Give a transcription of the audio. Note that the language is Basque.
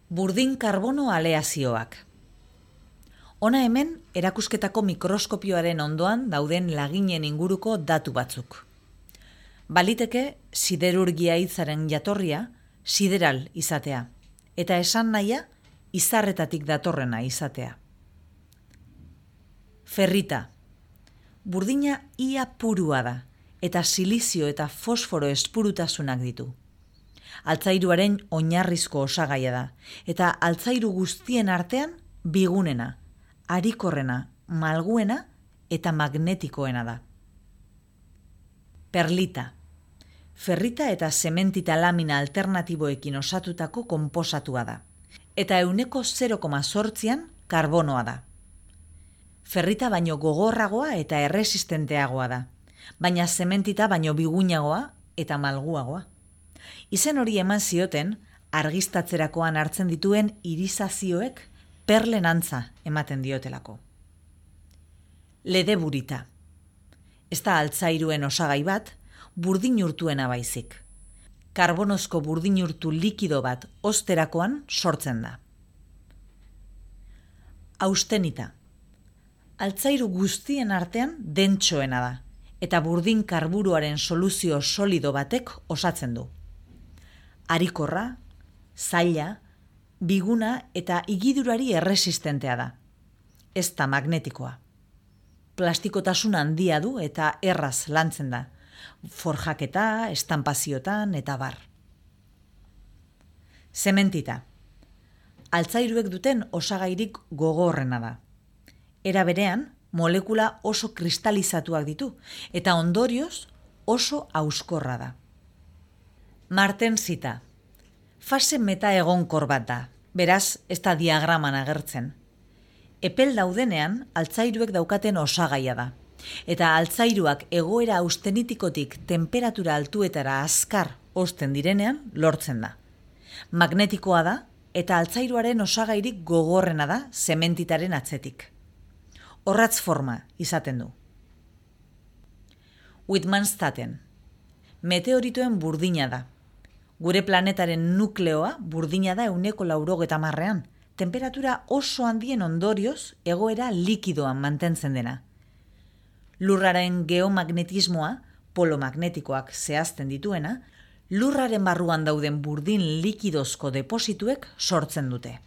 Burdin karbono aleazioak. Hona hemen erakusketako mikroskopioaren ondoan dauden laginen inguruko datu batzuk. Baliteke siderurgia hitzaren jatorria sideral izatea, eta esan nahia izarretatik datorrena izatea. Ferrita. Burdina ia purua da, eta silizio eta fosforo espurutasunak ditu. Altzairuaren oinarrizko osagaia da, eta altzairu guztien artean bigunena, harikorrena, malguena eta magnetikoena da. Perlita. Ferrita eta zementita lamina alternatiboekin osatutako konposatua da, eta 0,8an karbonoa da. Ferrita baino gogorragoa eta erresistenteagoa da, baina zementita baino biguinagoa eta malguagoa. Izen hori eman zioten argiztatzerakoan hartzen dituen irisazioek perlen antza ematen diotelako. Ledeburita. Ez da altzairuen osagai bat, burdinurtuena baizik. Karbonozko burdinurtu likido bat osterakoan sortzen da. Austenita. Altzairu guztien artean dentsoena da, eta burdin karburoaren soluzio solido batek osatzen du. Harikorra, zaila, biguna eta igidurari erresistentea da. Ez da magnetikoa. Plastikotasun handia du eta erraz lantzen da. Forjaketa, estanpaziotan eta bar. Zementita. Altzairuek duten osagairik gogorrena da. Era berean, molekula oso kristalizatuak ditu eta ondorioz oso hauskorra da. Martensita. Fase metaegonkor bat da, beraz ez da diagraman agertzen. Epel daudenean altzairuek daukaten osagaia da, eta altzairuak egoera austenitikotik temperatura altuetara azkar hozten direnean lortzen da. Magnetikoa da eta altzairuaren osagairik gogorrena da zementitaren atzetik. Orratz forma izaten du. Wittmannsstaten. Meteoritoen burdina da. Gure planetaren nukleoa burdina da 90%an, temperatura oso handien ondorioz egoera likidoan mantentzen dena. Lurraren geomagnetismoa, polo magnetikoak zehazten dituena, lurraren barruan dauden burdin likidozko deposituek sortzen dute.